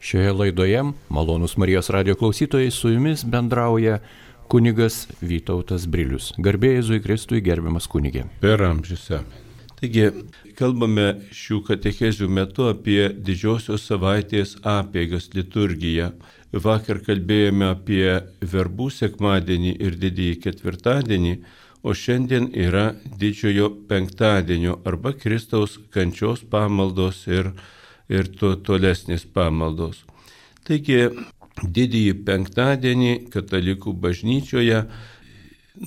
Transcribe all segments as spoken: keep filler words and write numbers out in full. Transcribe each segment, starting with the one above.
Šioje laidoje, malonūs Marijos radijo klausytojai, su jumis bendrauja kunigas Vytautas Brilius. Garbė Jėzui Kristui, gerbiamas kunigė. Per amžius. Taigi, kalbame šių katechezių metu apie didžiosios savaitės apeigas, liturgiją. Vakar kalbėjome apie verbų sekmadienį ir didįjį ketvirtadienį, o šiandien yra didžiojo penktadienio arba Kristaus kančios pamaldos ir, ir to tolesnės pamaldos. Taigi, didįjį penktadienį katalikų bažnyčioje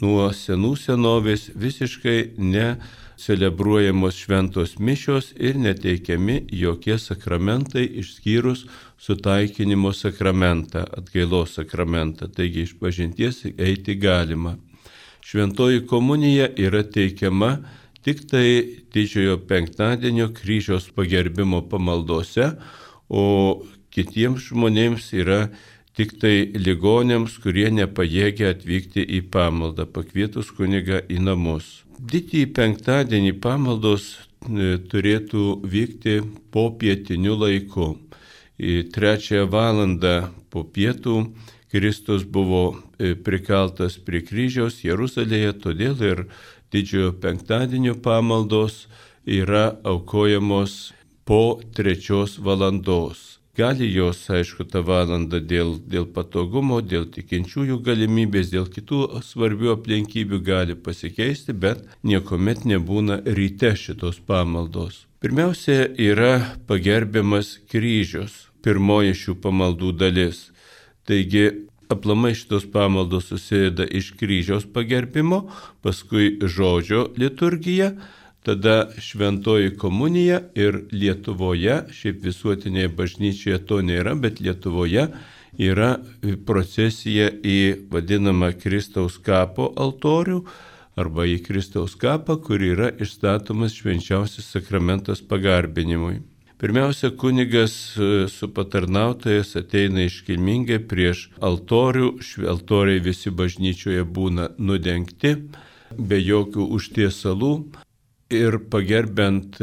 nuo senų senovės visiškai necelebruojamos šventos mišios ir neteikiami jokie sakramentai išskyrus sutaikinimo sakramentą, atgailos sakramentą. Taigi, išpažinties eiti galima. Šventoji komunija yra teikiama tik tai didžiojo penktadienio kryžiaus pagerbimo pamaldose, o kitiems žmonėms yra tik tai ligoniams, kurie nepajėgia atvykti į pamaldą, pakvietus kunigą į namus. Didįjį penktadienį pamaldos turėtų vykti po pietiniu laiku. Į trečiąją valandą po pietų Kristus buvo prikaltas prie kryžiaus Jeruzalėje, todėl ir didžiojo penktadienio pamaldos yra aukojamos po trečios valandos. Gali jos, aišku, tą valandą dėl, dėl patogumo, dėl tikinčiųjų galimybės, dėl kitų svarbių aplinkybių gali pasikeisti, bet niekuomet nebūna ryte šitos pamaldos. Pirmiausia yra pagerbiamas kryžius, pirmoji šių pamaldų dalis. Taigi, aplamai šitos pamaldos susideda iš kryžiaus pagerbimo, paskui žodžio liturgija, tada šventoji komunija ir Lietuvoje, šiaip visuotinėje bažnyčioje to nėra, bet Lietuvoje yra procesija į vadinamą Kristaus kapo altorių arba į Kristaus kapą, kur yra išstatomas švenčiausias sakramentas pagarbinimui. Pirmiausia, kunigas su patarnautojas ateina iškilmingai prieš altorių, altoriai visi bažnyčioje būna nudengti, be jokių užtiesalų ir pagerbent,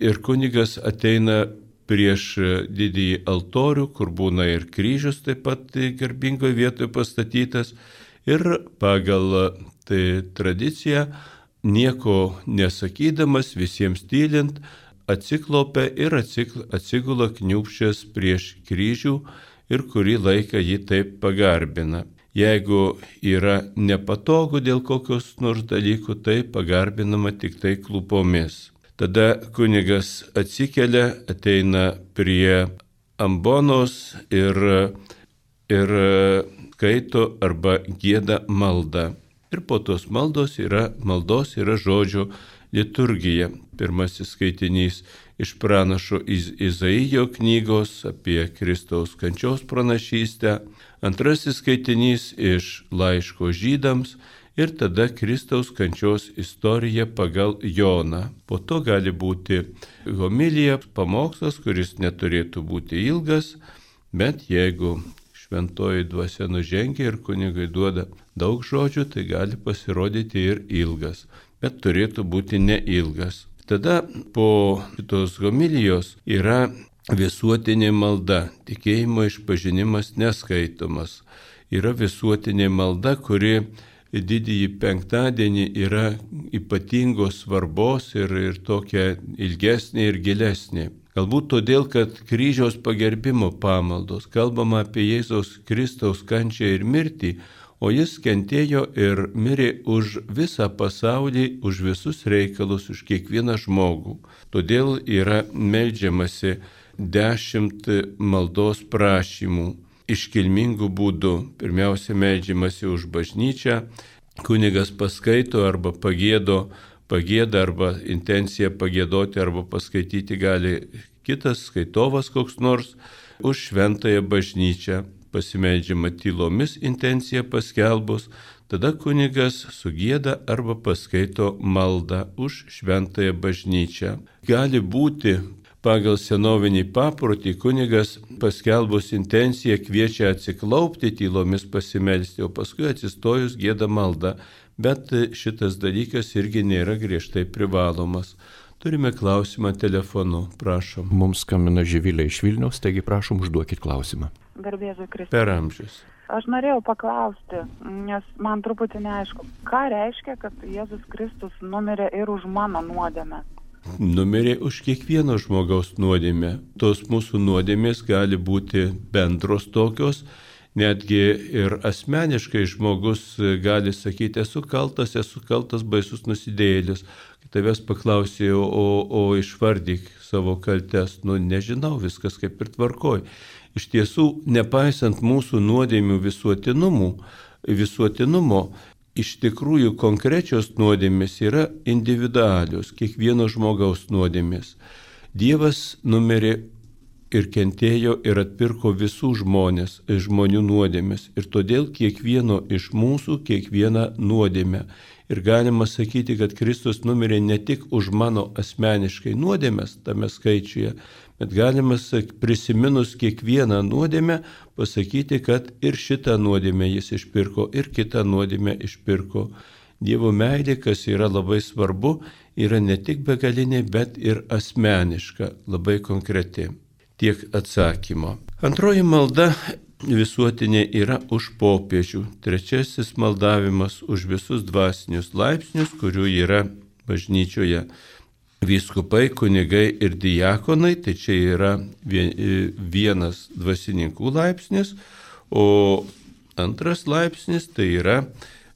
ir kunigas ateina prieš didįjį altorių, kur būna ir kryžius taip pat garbingoje vietoje pastatytas, ir pagal tai tradiciją nieko nesakydamas, visiems tylint, atsiklaupia ir atsigula kniūbsčias prieš kryžių ir kurį laiką jį taip pagarbina. Jeigu yra nepatogu dėl kokios nors dalykų, tai pagarbinama tik tai klupomis. Tada kunigas atsikelia, ateina prie ambonos ir, ir skaito arba gieda maldą. Ir po tos maldos yra, maldos yra žodžio liturgija. Pirmasis skaitinys iš pranašo Izaijo knygos apie Kristaus kančios pranašystę, antrasis skaitinys iš laiško žydams ir tada Kristaus kančios istorija pagal Joną. Po to gali būti homilija, pamokslas, kuris neturėtų būti ilgas, bet jeigu šventoji dvasia nužengia ir kunigui duoda daug žodžių, tai gali pasirodyti ir ilgas, bet turėtų būti neilgas. Tada po šitos homilijos yra visuotinė malda, tikėjimo išpažinimas neskaitomas. Yra visuotinė malda, kuri didįjį penktadienį yra ypatingos svarbos ir, ir tokia ilgesnė ir gilesnė. Galbūt todėl, kad kryžiaus pagerbimo pamaldos kalbama apie Jėzaus Kristaus kančią ir mirtį, o jis kentėjo ir mirė už visą pasaulį, už visus reikalus, už kiekvieną žmogų. Todėl yra meldžiamasi dešimt maldos prašymų iškilmingų būdų. Pirmiausia, meldžiamasi už bažnyčią, kunigas paskaito arba pagiedo, pagėda arba intenciją pagėdoti arba paskaityti gali kitas skaitovas koks nors, už šventąją bažnyčią. Pasimeldžiama tylomis intenciją paskelbus, tada kunigas sugieda arba paskaito maldą už šventąją bažnyčią. Gali būti pagal senovinį paprotį kunigas paskelbus intenciją kviečia atsiklaupti tylomis pasimelsti, o paskui atsistojus gieda maldą, bet šitas dalykas irgi nėra griežtai privalomas. Turime klausimą telefonu, prašom. Mums skambina Živilė iš Vilniaus, taigi prašom užduokit klausimą. Garbėzui Kristui. Per amžius. Aš norėjau paklausti, nes man truputį neaišku, ką reiškia, kad Jėzus Kristus numirė ir už mano nuodėmę. Numirė už kiekvieno žmogaus nuodėmę. Tos mūsų nuodėmės gali būti bendros tokios, netgi ir asmeniškai žmogus gali sakyti, esu kaltas, esu kaltas baisus nusidėjėlis. Tavęs paklausė, o, o išvardyk savo kaltes. Nu, nežinau, viskas kaip ir tvarkoj. Iš tiesų, nepaisant mūsų nuodėmių visuotinumų, visuotinumo, iš tikrųjų konkrečios nuodėmės yra individualios, kiekvieno žmogaus nuodėmės. Dievas numirė ir kentėjo ir atpirko visų žmonės, žmonių nuodėmės. Ir todėl kiekvieno iš mūsų kiekvieną nuodėmę. Ir galima sakyti, kad Kristus numirė ne tik už mano asmeniškai nuodėmės tame skaičiuje, bet galima prisiminus kiekvieną nuodėmę pasakyti, kad ir šitą nuodėmę jis išpirko, ir kitą nuodėmę išpirko. Dievo meilė, kas yra labai svarbu, yra ne tik begalinė, bet ir asmeniška, labai konkreti. Tiek atsakymo. Antroji malda visuotinė yra už popiežių. Trečiasis maldavimas už visus dvasinius laipsnius, kurių yra bažnyčioje vyskupai, kunigai ir diakonai. Tai čia yra vienas dvasininkų laipsnis, o antras laipsnis tai yra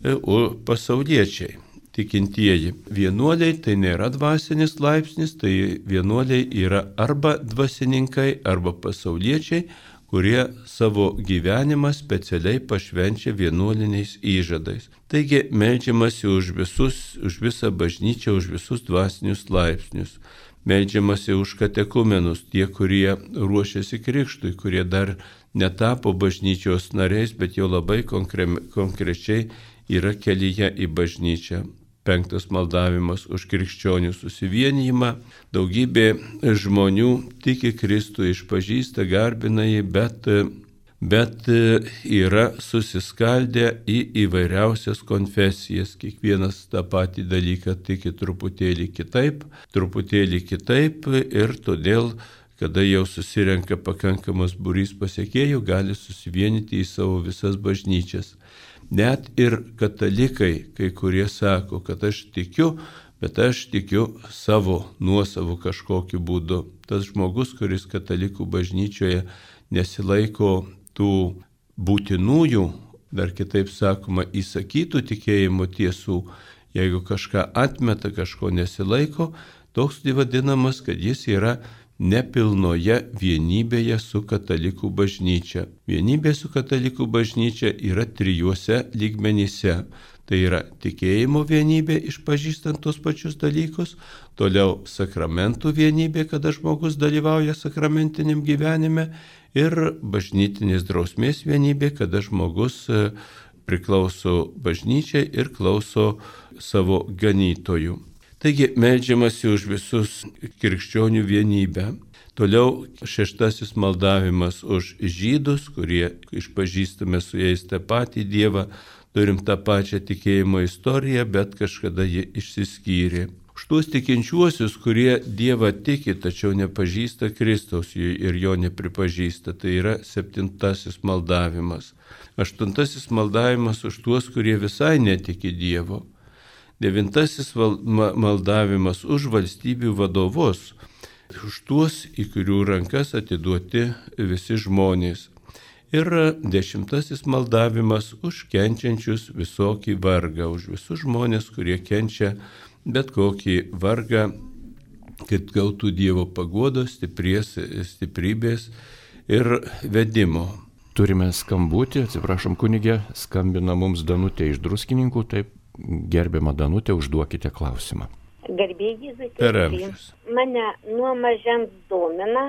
pasauliečiai. Tikintieji. Vienuoliai tai nėra dvasinis laipsnis, tai vienuoliai yra arba dvasininkai, arba pasauliečiai, kurie savo gyvenimą specialiai pašvenčia vienuoliniais įžadais. Taigi meldžiamasi už visus, už visą bažnyčią, už visus dvasinius laipsnius. Meldžiamasi už katekumenus, tie, kurie ruošiasi krikštui, kurie dar netapo bažnyčios nariais, bet jau labai konkre, konkrečiai yra kelyje į bažnyčią. Penktas maldavimas už krikščionių susivienijimą. Daugybė žmonių tiki Kristų, išpažįsta, garbina jį, bet, bet yra susiskaldę į įvairiausias konfesijas. Kiekvienas tą patį dalyką tiki truputėlį kitaip, truputėlį kitaip ir todėl, kada jau susirenka pakankamas būrys pasekėjų, gali susivienyti į savo visas bažnyčias. Net ir katalikai, kai kurie sako, kad aš tikiu, bet aš tikiu savo nuosavų kažkokiu būdu. Tas žmogus, kuris katalikų bažnyčioje nesilaiko tų būtinųjų, dar kitaip sakoma, įsakytų tikėjimo tiesų, jeigu kažką atmeta, kažko nesilaiko, toks vadinamas, kad jis yra nepilnoje vienybėje su katalikų bažnyčia. Vienybė su katalikų bažnyčia yra trijuose lygmenyse. Tai yra tikėjimo vienybė, išpažįstant tos pačius dalykus, toliau sakramentų vienybė, kada žmogus dalyvauja sakramentiniam gyvenime, ir bažnytinės drausmės vienybė, kada žmogus priklauso bažnyčiai ir klauso savo ganytojų. Taigi meldžiamasi už visus krikščionių vienybę. Toliau šeštasis maldavimas už žydus, kurie išpažįstame su jais tą patį Dievą, turim tą pačią tikėjimo istoriją, bet kažkada jie išsiskyrė. Už tuos tikinčiuosius, kurie Dievą tiki, tačiau nepažįsta Kristaus ir jo nepripažįsta, tai yra septintasis maldavimas. Aštuntasis maldavimas už tuos, kurie visai netiki Dievo. Devintasis maldavimas už valstybių vadovus, už tuos, į kurių rankas atiduoti visi žmonės. Ir dešimtasis maldavimas už kenčiančius visokį vargą, už visus žmonės, kurie kenčia bet kokį vargą, kad gautų Dievo paguodos, stipries, stiprybės ir vedimo. Turime skambutį, atsiprašom kunigė, skambina mums Danutė iš Druskininkų, taip. Gerbiama Danutė, užduokite klausimą. Garbėjai Zikriai, mane nuo mažens domina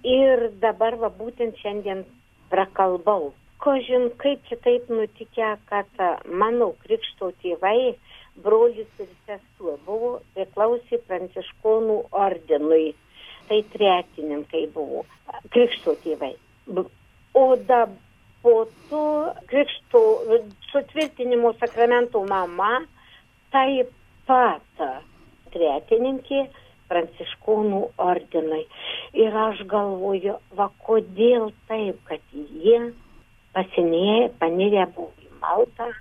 ir dabar va būtent šiandien prakalbau. Kažin kaip čia taip nutikę, kad mano krikšto tėvai, brolis ir sesuo buvo priklausė Pranciškonų ordinui. Tai tretininkai buvo krikšto tėvai. O dabar po to krikšto sutvirtinimo sakramento mama taip pat tretininkė Pranciškonų ordinui. Ir aš galvoju, va kodėl taip, kad jie pasinėję, panirę buvo į maldą,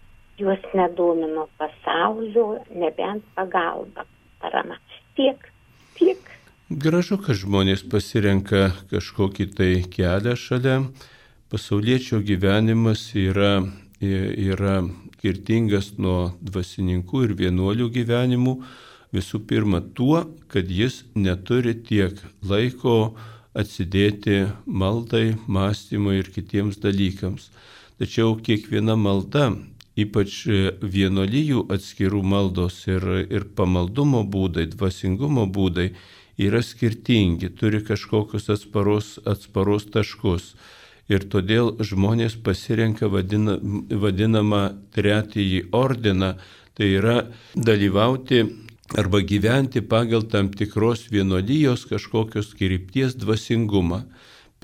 juos nedomino pasaulio, nebent pagalba, parama. Tiek, tiek. Gražu, kad žmonės pasirenka kažkokį tai kelią šalia. Pasauliečio gyvenimas yra, yra skirtingas nuo dvasininkų ir vienuolių gyvenimų. Visų pirma tuo, kad jis neturi tiek laiko atsidėti maldai, mąstymui ir kitiems dalykams. Tačiau kiekviena malda, ypač vienuolijų atskirų maldos ir, ir pamaldumo būdai, dvasingumo būdai, yra skirtingi, turi kažkokius atsparos, atsparos taškus. Ir todėl žmonės pasirenka vadina, vadinamą trečiąjį ordiną, tai yra dalyvauti arba gyventi pagal tam tikros vienuolijos kažkokios krypties dvasingumą.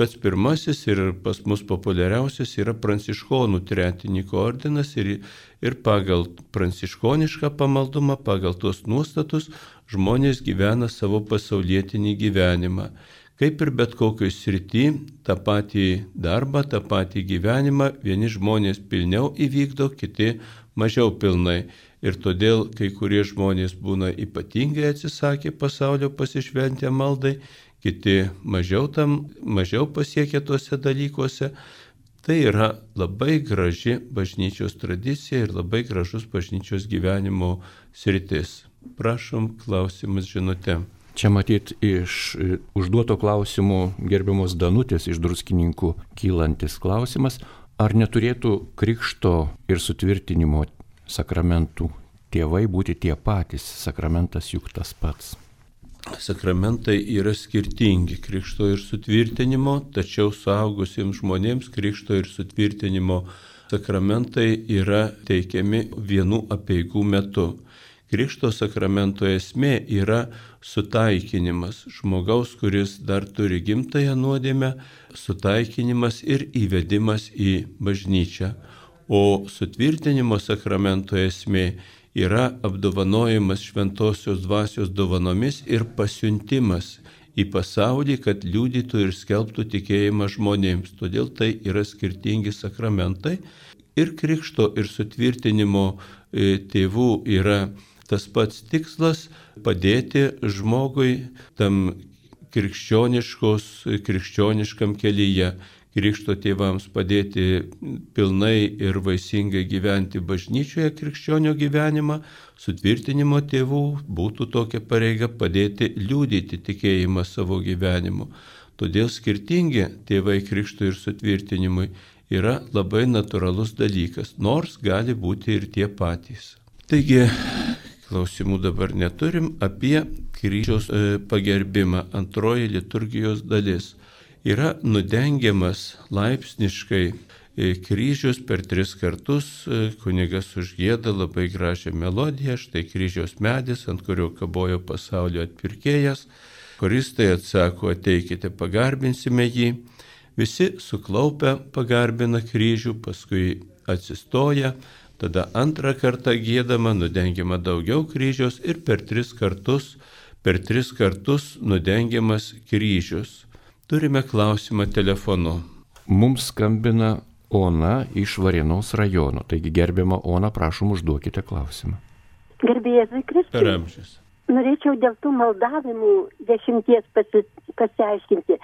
Pats pirmasis ir pas mus populiariausias yra Pranciškonų tretininko ordinas ir, ir pagal pranciškonišką pamaldumą, pagal tos nuostatus žmonės gyvena savo pasaulietinį gyvenimą. Kaip ir bet kokioj srity, tą patį darbą, tą patį gyvenimą vieni žmonės pilniau įvykdo, kiti mažiau pilnai. Ir todėl kai kurie žmonės būna ypatingai atsisakę pasaulio pasišventę maldai, kiti mažiau, tam, mažiau pasiekia tuose dalykuose. Tai yra labai graži bažnyčios tradicija ir labai gražus bažnyčios gyvenimo sritis. Prašom, klausimus žinute. Čia matyt iš užduoto klausimų gerbiamos Danutės iš Druskininkų kylantis klausimas, ar neturėtų krikšto ir sutvirtinimo sakramentų tėvai būti tie patys, sakramentas juk tas pats. Sakramentai yra skirtingi krikšto ir sutvirtinimo, tačiau suaugusiems žmonėms krikšto ir sutvirtinimo sakramentai yra teikiami vienų apeigų metu. Krikšto sakramento esmė yra sutaikinimas žmogaus, kuris dar turi gimtąją nuodėmę, sutaikinimas ir įvedimas į bažnyčią. O sutvirtinimo sakramento esmė yra apdovanojimas šventosios dvasios dovanomis ir pasiuntimas į pasaulį, kad liudytų ir skelbtų tikėjimą žmonėms. Todėl tai yra skirtingi sakramentai. Ir krikšto ir sutvirtinimo tėvų yra tas pats tikslas – padėti žmogui tam krikščioniškam kelyje. Krikšto tėvams padėti pilnai ir vaisingai gyventi bažnyčioje krikščionio gyvenimą, sutvirtinimo tėvų būtų tokia pareiga padėti liudyti tikėjimą savo gyvenimu. Todėl skirtingi tėvai krikštui ir sutvirtinimui yra labai natūralus dalykas, nors gali būti ir tie patys. Taigi, klausimų dabar neturim apie kryžiaus pagerbimą, antroji liturgijos dalis. Yra nudengiamas laipsniškai kryžius per tris kartus, kunigas užgieda labai gražią melodiją, štai kryžiaus medis, ant kurio kabojo pasaulio atpirkėjas, choristai atsako, ateikite, pagarbinsime jį, visi suklaupę pagarbina kryžių, paskui atsistoja, tada antrą kartą giedama, nudengiama daugiau kryžiaus ir per tris kartus, per tris kartus nudengiamas kryžius. Turime klausimą telefonu. Mums skambina Ona iš Varėnos rajono. Taigi, gerbiama Ona, prašom, užduokite klausimą. Gerbėjai Kristui. Per amžius. Norėčiau dėl tų maldavimų dešimties pasi, pasiaiškinti.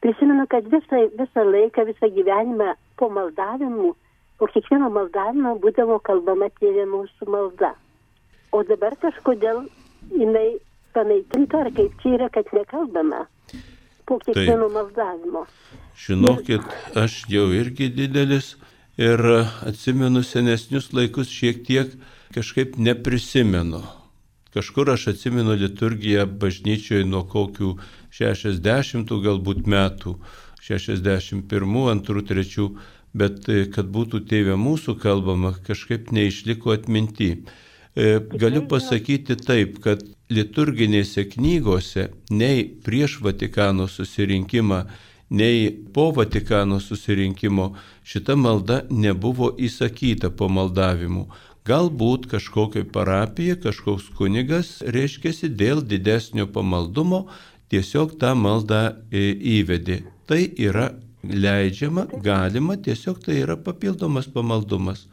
Prisimenu, kad visą, visą laiką, visą gyvenimą po maldavimų, po kiekvieno maldavimo būdavo kalbama Tėve mūsų malda. O dabar kažkodėl jinai panaikinta, ar kaip čia yra, kad nekalbama po kiekvieno maldavimo. Žinokit, aš jau irgi didelis ir atsimenu senesnius laikus šiek tiek kažkaip neprisimenu. Kažkur aš atsimenu liturgiją bažnyčioje nuo kokių šešiasdešimtų galbūt metų, šešiasdešimt pirmų, antrų, trečių, bet kad būtų Tėve mūsų kalbama, kažkaip neišliko atminty. Galiu pasakyti taip, kad liturginėse knygose nei prieš Vatikano susirinkimą, nei po Vatikano susirinkimo šita malda nebuvo įsakyta po maldavimų. Galbūt kažkokia parapija, kažkoks kunigas, reiškiasi, dėl didesnio pamaldumo tiesiog tą maldą įvedė. Tai yra leidžiama, galima, tiesiog tai yra papildomas pamaldumas.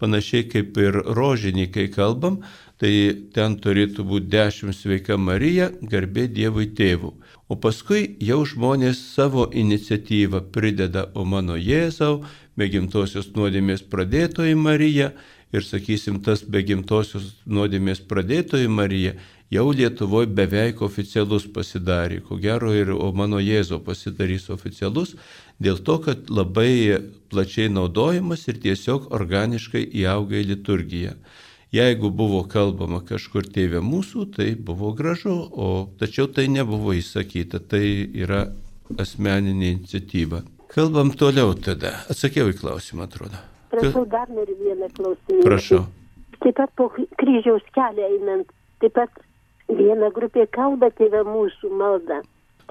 Panašiai kaip ir rožinį, kai kalbam, tai ten turėtų būti dešimt sveika Marija, garbė Dievui tėvų. O paskui jau žmonės savo iniciatyvą prideda, o mano Jėzau, be gimtosios nuodėmės pradėtoji Marija, ir sakysim, tas be gimtosios nuodėmės pradėtoji Marija jau Lietuvoje beveik oficialus pasidarė. Ko gero ir o mano Jėzau pasidarys oficialus, dėl to, kad labai plačiai naudojamas ir tiesiog organiškai įauga į liturgiją. Jeigu buvo kalbama kažkur tėve mūsų, tai buvo gražu, o tačiau tai nebuvo įsakyta, tai yra asmeninė iniciatyva. Kalbam toliau tada. Atsakiau į klausimą, atrodo. Prašau, dar noriu vieną klausimą. Prašau. Taip pat po kryžiaus kelią einant, taip pat viena grupė kalba tėve mūsų maldą.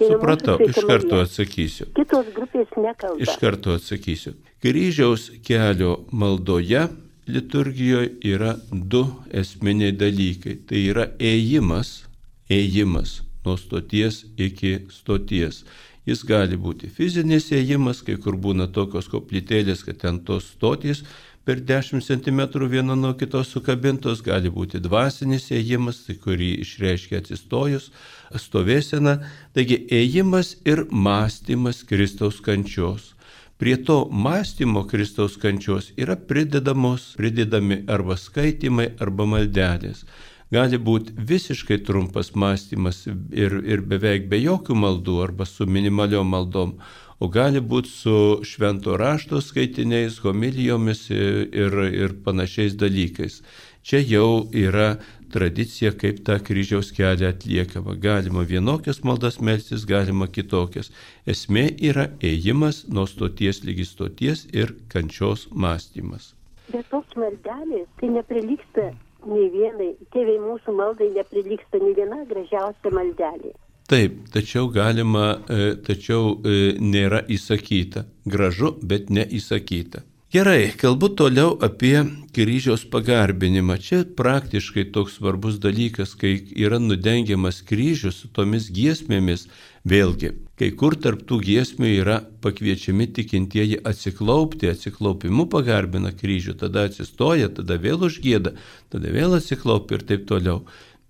Supratau, iš karto atsakysiu. Kitos grupės nekalba. Iš karto atsakysiu. Kryžiaus kelio maldoje liturgijoje yra du esminiai dalykai. Tai yra ėjimas, ėjimas nuo stoties iki stoties. Jis gali būti fizinis ėjimas, kai kur būna tokios koplytėlės, kad ten tos stotys per dešimt centimetrų viena nuo kitos sukabintos, gali būti dvasinis ėjimas, tai kurį išreiškia atsistojus, stovėsena. Taigi ėjimas ir mąstymas Kristaus kančios. Prie to mąstymo Kristaus kančios yra pridedamos, pridedami arba skaitimai, arba maldelės. Gali būti visiškai trumpas mąstymas ir, ir beveik be jokių maldų arba su minimaliom maldom, o gali būti su švento rašto skaitiniais, homilijomis ir, ir, ir panašiais dalykais. Čia jau yra tradicija, kaip tą kryžiaus kelią atliekama. Galima vienokias maldas melstis, galima kitokias. Esmė yra ėjimas nuo stoties lygi stoties ir kančios mąstymas. Bet tos maldelės tai neprilygsta nei vienai, tėvai mūsų maldai neprilygsta nei viena gražiausia maldelė. Taip, tačiau galima, tačiau nėra įsakyta. Gražu, bet neįsakyta. Gerai, kalbu toliau apie kryžiaus pagarbinimą. Čia praktiškai toks svarbus dalykas, kai yra nudengiamas kryžius su tomis giesmėmis. Vėlgi, kai kur tarp tų giesmių yra pakviečiami tikintieji atsiklaupti, atsiklaupimu pagarbina kryžių, tada atsistoja, tada vėl užgieda, tada vėl atsiklaupia ir taip toliau.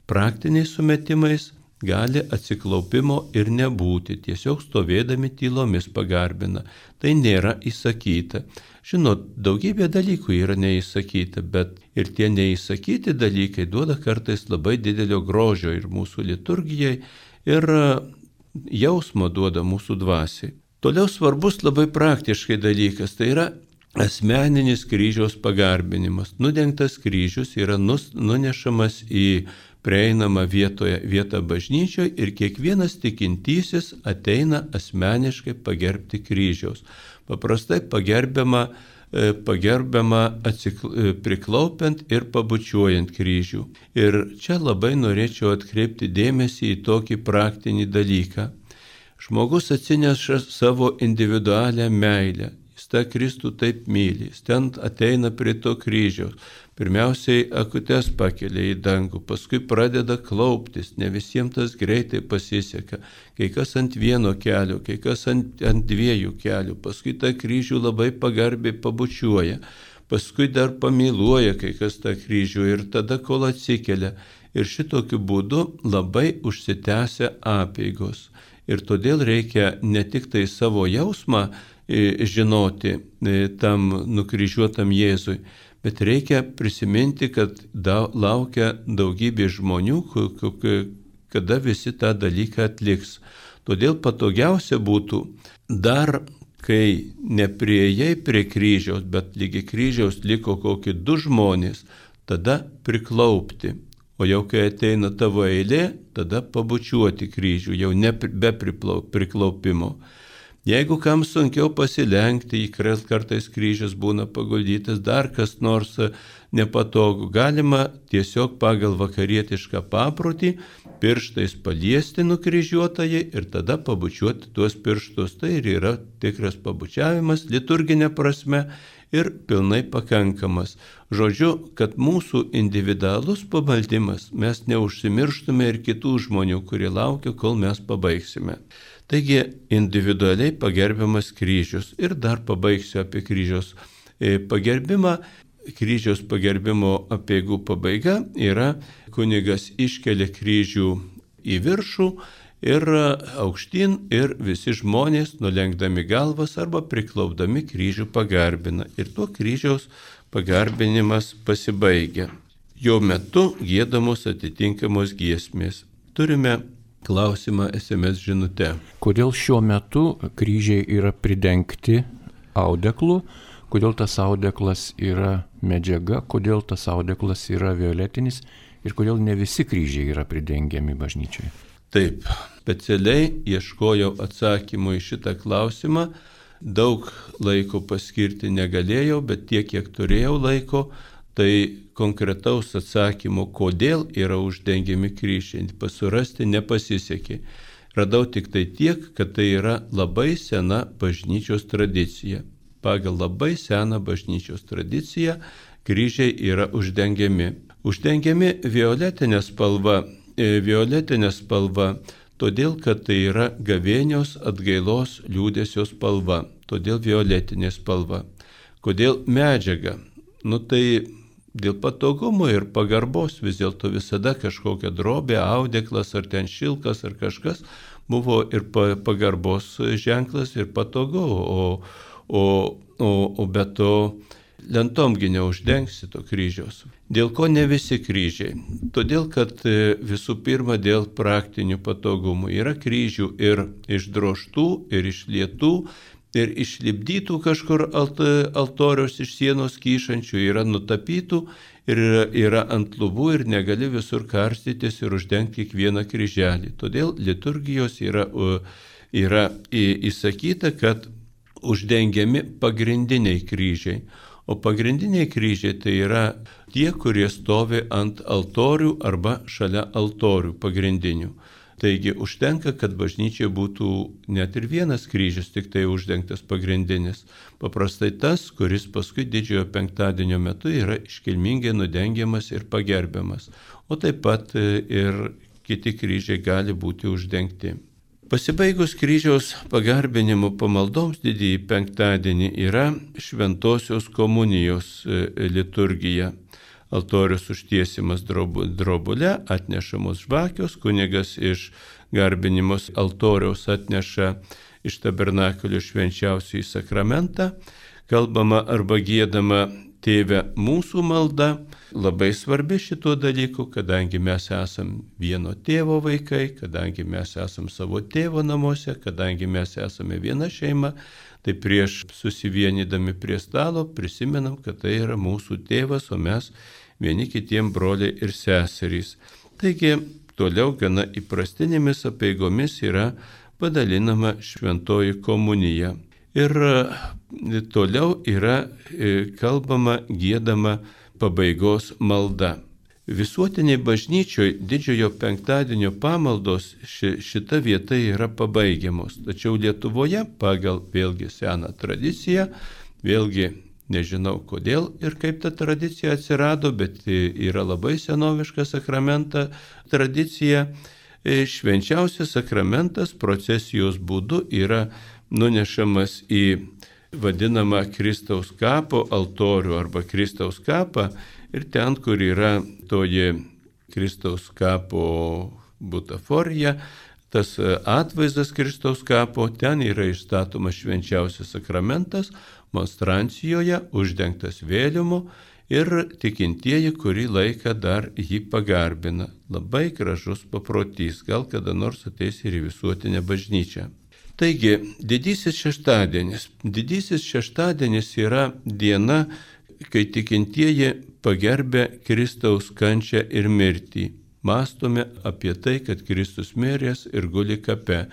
Praktiniais sumetimais gali atsiklaupimo ir nebūti, tiesiog stovėdami tylomis pagarbina. Tai nėra įsakyta. Žinot, daugybė dalykų yra neįsakyta, bet ir tie neįsakyti dalykai duoda kartais labai didelio grožio ir mūsų liturgijai, ir jausmo duoda mūsų dvasiai. Toliau svarbus labai praktiškai dalykas, tai yra asmeninis kryžiaus pagarbinimas. Nudengtas kryžius yra nus, nunešamas į prieinamą vietoje, vietą bažnyčioje ir kiekvienas tikintysis ateina asmeniškai pagerbti kryžiaus. Paprastai pagerbiama, pagerbiama atsikl... priklaupiant ir pabučiuojant kryžių. Ir čia labai norėčiau atkreipti dėmesį į tokį praktinį dalyką. Žmogus atsineša savo individualią meilę. Jis tą Kristų taip myli. Jis ten ateina prie to kryžiaus. Pirmiausiai akutes pakelia į dangų, paskui pradeda klauptis, ne visiems tas greitai pasiseka, kai kas ant vieno kelio, kai kas ant, ant dviejų kelių, paskui tą kryžių labai pagarbiai pabučiuoja, paskui dar pamyluoja kai kas tą kryžių ir tada kol atsikelia. Ir šitokiu būdu labai užsitęsia apeigos. Ir todėl reikia ne tik tai savo jausmą žinoti tam nukryžiuotam Jėzui, bet reikia prisiminti, kad da, laukia daugybė žmonių, kada visi tą dalyką atliks. Todėl patogiausia būtų dar, kai nepriejai prie kryžiaus, bet lygi kryžiaus liko kokie du žmonės, tada priklaupti. O jau kai ateina tavo eilė, tada pabučiuoti kryžių, jau ne be priklaupimo. Jeigu kam sunkiau pasilenkti, į kartais kryžius būna paguldytas, dar kas nors nepatogu, galima tiesiog pagal vakarietišką paprotį pirštais paliesti nukryžiuotąjį ir tada pabučiuoti tuos pirštus. Tai ir yra tikras pabučiavimas liturginė prasme ir pilnai pakankamas. Žodžiu, kad mūsų individualus pamaldimas mes neužsimirštume ir kitų žmonių, kurie laukia, kol mes pabaigsime. Taigi individualiai pagerbiamas kryžius. Ir dar pabaigsiu apie kryžiaus pagerbimą. Kryžiaus pagerbimo apeigų pabaiga yra kunigas iškelia kryžių į viršų ir aukštyn ir visi žmonės nulenkdami galvas arba priklaupdami kryžių pagarbina. Ir tuo kryžiaus pagarbinimas pasibaigia. Jo metu giedamos atitinkamos giesmės. Turime klausimą es em es žinute. Kodėl šiuo metu kryžiai yra pridengti audeklu? Kodėl tas audeklas yra medžiaga? Kodėl tas audeklas yra violetinis? Ir kodėl ne visi kryžiai yra pridengiami bažnyčioje? Taip, specialiai ieškojau atsakymų į šitą klausimą. Daug laiko paskirti negalėjau, bet tiek, kiek turėjau laiko, tai konkretaus atsakymo, kodėl yra uždengiami kryžiai, pasurasti nepasisekė. Radau tik tai tiek, kad tai yra labai sena bažnyčios tradicija. Pagal labai seną bažnyčios tradiciją kryžiai yra uždengiami. Uždengiami violetinė spalva, e, violetinė spalva, todėl, kad tai yra gavėnios atgailos liūdesio spalva, todėl violetinė spalva. Kodėl medžiaga? Nu tai dėl patogumo ir pagarbos vis dėlto visada kažkokia drobė, audeklas ar ten šilkas ar kažkas buvo ir pagarbos ženklas ir patogu, o O, o, o be to lentomgi neuždengsi to kryžiaus. Dėl ko ne visi kryžiai? Todėl, kad visų pirma dėl praktinių patogumų. Yra kryžių ir išdrožtų, ir išlietų, ir išlipdytų kažkur alt, altoriaus iš sienos kyšančių, yra nutapytų, ir yra ant lubų ir negali visur karstytis ir uždengti kiekvieną kryželį. Todėl liturgijos yra, yra įsakyta, kad uždengiami pagrindiniai kryžiai. O pagrindiniai kryžiai tai yra tie, kurie stovi ant altorių arba šalia altorių pagrindinių. Taigi užtenka, kad bažnyčioje būtų net ir vienas kryžius, tik tai uždengtas pagrindinis. Paprastai tas, kuris paskui didžiojo penktadienio metu yra iškilmingai nudengiamas ir pagerbiamas. O taip pat ir kiti kryžiai gali būti uždengti. Pasibaigus kryžiaus pagarbinimo pamaldoms didįjį penktadienį yra šventosios komunijos liturgija. Altorius užtiesimas drobule, atnešamos žvakios, kunigas iš garbinimos altoriaus atneša iš tabernakulio švenčiausiąjį sakramentą, kalbama arba giedama Tėve mūsų malda. Labai svarbi šito dalyku, kadangi mes esam vieno tėvo vaikai, kadangi mes esam savo tėvo namuose, kadangi mes esame viena šeima, tai prieš susivienydami prie stalo prisimenam, kad tai yra mūsų tėvas, o mes vieni kitiem broliai ir seserys. Taigi toliau gana įprastinėmis apeigomis yra padalinama šventoji komunija. Ir toliau yra kalbama, giedama pabaigos malda. Visuotiniai bažnyčioje didžiojo penktadienio pamaldos ši, šita vieta yra pabaigiamos. Tačiau Lietuvoje pagal vėlgi seną tradiciją, vėlgi nežinau kodėl ir kaip ta tradicija atsirado, bet yra labai senoviška sakramenta tradicija. Švenčiausias sakramentas procesijos būdu yra nunešamas į vadinamą Kristaus kapo altorių arba Kristaus kapą ir ten, kur yra toji Kristaus kapo butaforija, tas atvaizdas Kristaus kapo, ten yra išstatomas švenčiausias sakramentas, monstrancijoje uždengtas vėliumu ir tikintieji kurį laiką dar jį pagarbina. Labai gražus paprotys, gal kada nors ateis ir į visuotinę bažnyčią. Taigi, didysis šeštadienis. Didysis šeštadienis yra diena, kai tikintieji pagerbia Kristaus kančią ir mirtį. Mąstome apie tai, kad Kristus miręs ir guli kape.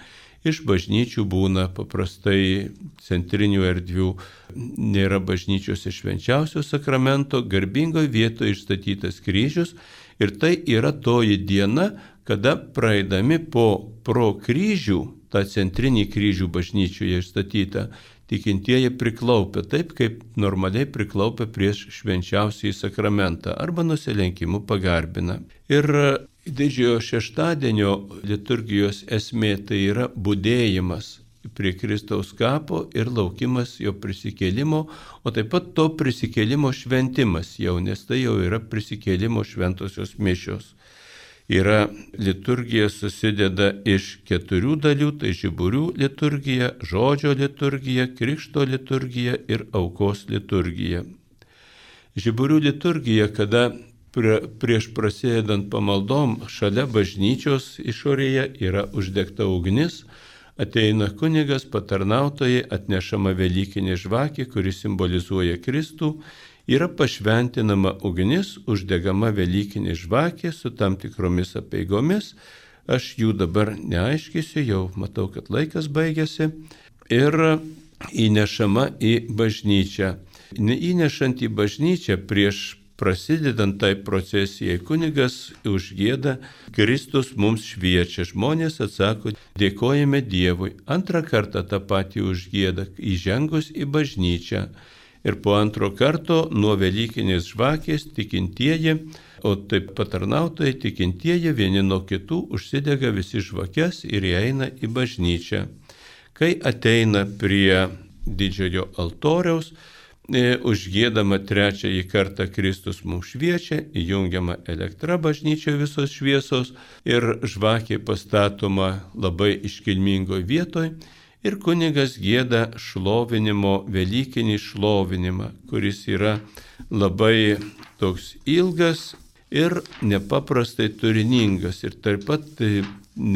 Iš bažnyčių būna paprastai centrinių erdvių, nėra bažnyčios iš švenčiausio sakramento, garbingoje vietoje išstatytas kryžius ir tai yra toji diena, kada praeidami po pro kryžių, tą centrinį kryžių bažnyčioje išstatytą, tikintieji priklaupia taip, kaip normaliai priklaupia prieš švenčiausiąjį sakramentą arba nusilenkimu pagarbina. Ir didžiojo šeštadienio liturgijos esmė tai yra budėjimas prie Kristaus kapo ir laukimas jo prisikėlimo, o taip pat to prisikėlimo šventimas jau, nes tai jau yra prisikėlimo šventosios mišios. Yra liturgija susideda iš keturių dalių, tai žiburių liturgija, žodžio liturgija, krikšto liturgija ir aukos liturgija. Žiburių liturgija, kada prie, prieš prasidedant pamaldom šalia bažnyčios išorėje yra uždegta ugnis, ateina kunigas, patarnautojai, atnešama velykinė žvakė, kuri simbolizuoja Kristų, yra pašventinama ugnis, uždegama velykinė žvakė su tam tikromis apeigomis. Aš jų dabar neaiškysiu, jau matau, kad laikas baigėsi. Ir įnešama į bažnyčią. Įnešant į bažnyčią prieš prasidedant tai procesijai, kunigas užgieda Kristus mums šviečia. Žmonės atsako, dėkojame Dievui. Antrą kartą tą patį užgieda įžengus į bažnyčią. Ir po antro karto nuo velykinės žvakės tikintieji, o taip patarnautojai tikintieji vieni nuo kitų užsidega visi žvakes ir įeina į bažnyčią. Kai ateina prie didžiojo altoriaus, e, užgiedama trečiąjį kartą Kristus mums šviečia, įjungiama elektra bažnyčioje visos šviesos ir žvakė pastatoma labai iškilmingoje vietoje. Ir kunigas gieda šlovinimo, velykinį šlovinimą, kuris yra labai toks ilgas ir nepaprastai turiningas. Ir taip pat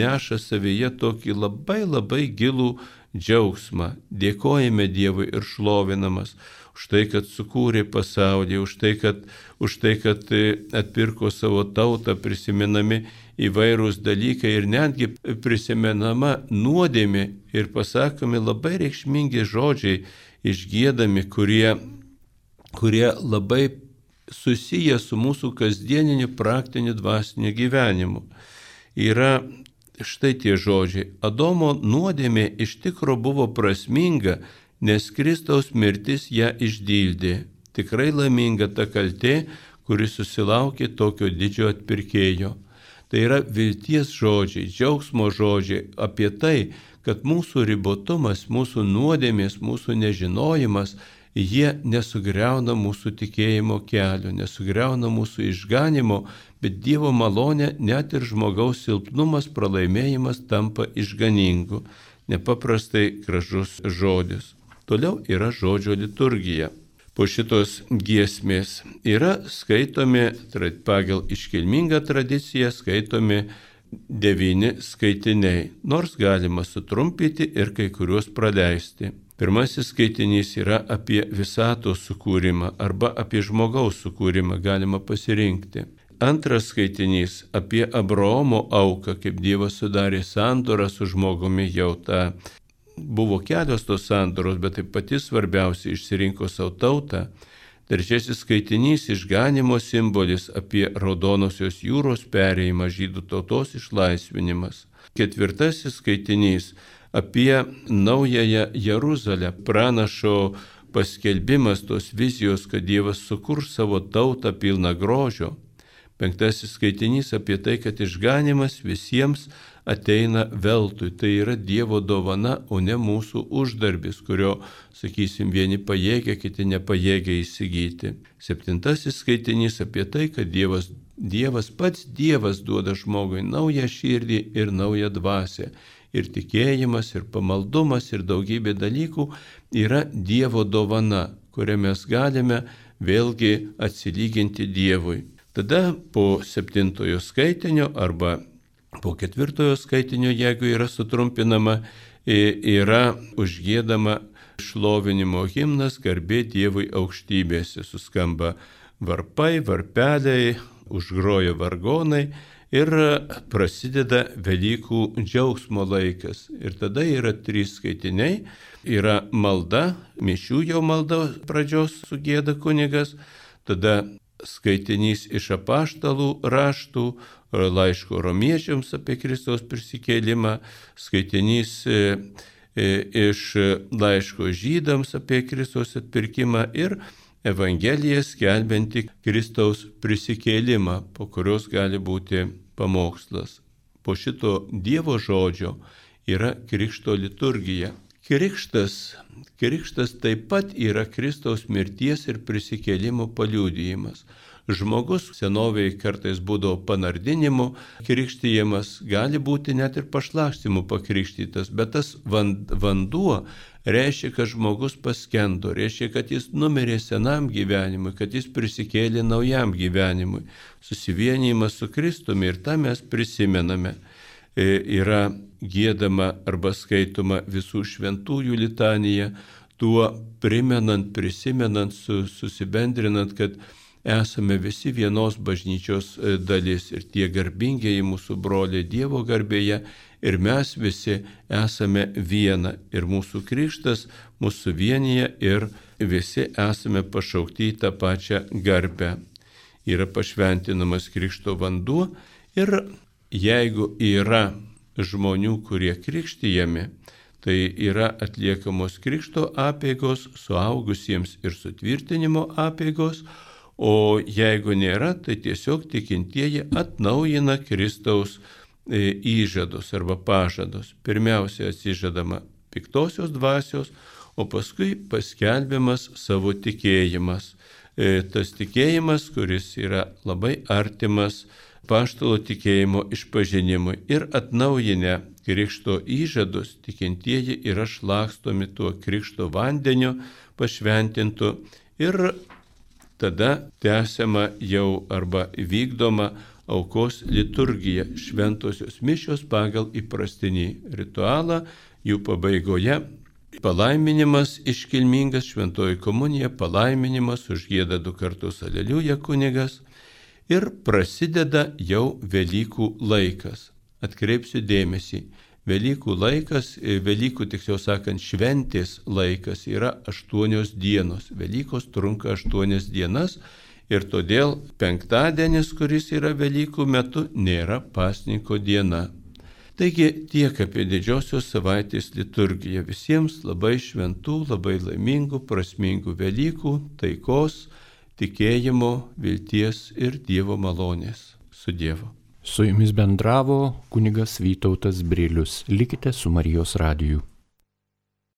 neša savyje tokį labai labai gilų džiaugsmą. Dėkojame Dievui ir šlovinamas už tai, kad sukūrė pasaulį, už tai, kad, už tai, kad atpirko savo tautą, prisimenami įvairūs dalykai ir netgi prisimenama nuodėmė ir pasakomi labai reikšmingi žodžiai išgiedami, kurie, kurie labai susiję su mūsų kasdieniniu praktiniu dvasiniu gyvenimu. Yra štai tie žodžiai. Adomo nuodėmė iš tikro buvo prasminga, nes Kristaus mirtis ją išdildė. Tikrai laiminga ta kaltė, kuri susilaukė tokio didžio atpirkėjo. Tai yra vilties žodžiai, džiaugsmo žodžiai apie tai, kad mūsų ribotumas, mūsų nuodėmės, mūsų nežinojimas, jie nesugriauna mūsų tikėjimo kelio, nesugriauna mūsų išganimo, bet Dievo malonė, net ir žmogaus silpnumas, pralaimėjimas tampa išganingu. Nepaprastai gražus žodis. Toliau yra žodžio liturgija. Po šitos giesmės yra skaitomi, pagal iškilmingą tradiciją, skaitomi devyni skaitiniai, nors galima sutrumpyti ir kai kuriuos praleisti. Pirmasis skaitinys yra apie visatos sukūrimą arba apie žmogaus sukūrimą, galima pasirinkti. Antras skaitinys apie Abraomo auką, kaip Dievas sudarė sandorą su žmogumi jau tą. Buvo kelios tos sandoros, bet tai pati svarbiausia išsirinko savo tautą. Trečiasis skaitinys išganimo simbolis apie Raudonosios jūros perėjimą, žydų tautos išlaisvinimas. Ketvirtasis skaitinys apie naująją Jeruzalę, pranašo paskelbimas tos vizijos, kad Dievas sukurs savo tautą pilną grožio. Penktasis skaitinys apie tai, kad išganimas visiems ateina veltui. Tai yra Dievo dovana, o ne mūsų uždarbis, kurio, sakysim, vieni pajėgia, kiti nepajėgia įsigyti. Septintasis skaitinys apie tai, kad Dievas, Dievas pats Dievas duoda žmogui naują širdį ir naują dvasią. Ir tikėjimas, ir pamaldumas, ir daugybė dalykų yra Dievo dovana, kurią mes galime vėlgi atsilyginti Dievui. Tada po septintojo skaitinio arba po ketvirtojo skaitinio, jeigu yra sutrumpinama, yra užgiedama šlovinimo himnas Garbė Dievui aukštybėse. Suskamba varpai, varpeliai, užgroja vargonai ir prasideda Velykų džiaugsmo laikas. Ir tada yra trys skaitiniai. Yra malda, mišių jau malda pradžios sugėda kunigas, tada skaitinys iš apaštalų raštų, laiško romiečiams apie Kristaus prisikėlimą, skaitinys iš laiško žydams apie Kristaus atpirkimą ir Evangelija skelbianti Kristaus prisikėlimą, po kurios gali būti pamokslas. Po šito Dievo žodžio yra Krikšto liturgija. Krikštas, krikštas taip pat yra Kristaus mirties ir prisikėlimo paliudijimas. Žmogus senovėje kartais būdavo panardinimu krikštijamas, gali būti net ir pašlakstimu pakrikštytas, bet tas vanduo reiškia, kad žmogus paskendo, reiškia, kad jis numirė senam gyvenimui, kad jis prisikėlė naujam gyvenimui. Susivienijimas su Kristumi ir tą mes prisimename. Yra giedama arba skaitoma visų šventųjų litanija, tuo primenant, prisimenant, susibendrinant, kad esame visi vienos bažnyčios dalis ir tie garbingieji mūsų broliai Dievo garbėje ir mes visi esame viena ir mūsų krikštas mūsų vienyje ir visi esame pašaukti į tą pačią garbę. Yra pašventinamas krikšto vanduo ir jeigu yra žmonių, kurie krikštijami, tai yra atliekamos krikšto apeigos suaugusiems ir sutvirtinimo apeigos, o jeigu nėra, tai tiesiog tikintieji atnaujina Kristaus įžadus arba pažadus. Pirmiausia atsižadama piktosios dvasios, o paskui paskelbiamas savo tikėjimas. Tas tikėjimas, kuris yra labai artimas apaštalo tikėjimo išpažinimui ir atnaujinę krikšto įžadus, tikintieji yra šlakstomi tuo krikšto vandeniu pašventintu ir tada tęsiama jau arba vykdoma aukos liturgija, šventosios mišios pagal įprastinį ritualą, jų pabaigoje palaiminimas iškilmingas, šventoji komunija, palaiminimas, užgieda du kartus aleliuja kunigas ir prasideda jau Velykų laikas. Atkreipsiu dėmesį, Velykų laikas, Velykų tiksliau sakant šventės laikas yra aštuonios dienos. Velykos trunka aštuonias dienas ir todėl penktadienis, kuris yra Velykų metu, nėra pasninko diena. Taigi tiek apie didžiosios savaitės liturgiją. Visiems labai šventų, labai laimingų, prasmingų Velykų, taikos, tikėjimo, vilties ir Dievo malonės. Su Dievu. Su jumis bendravo kunigas Vytautas Brilius. Likite su Marijos radiju.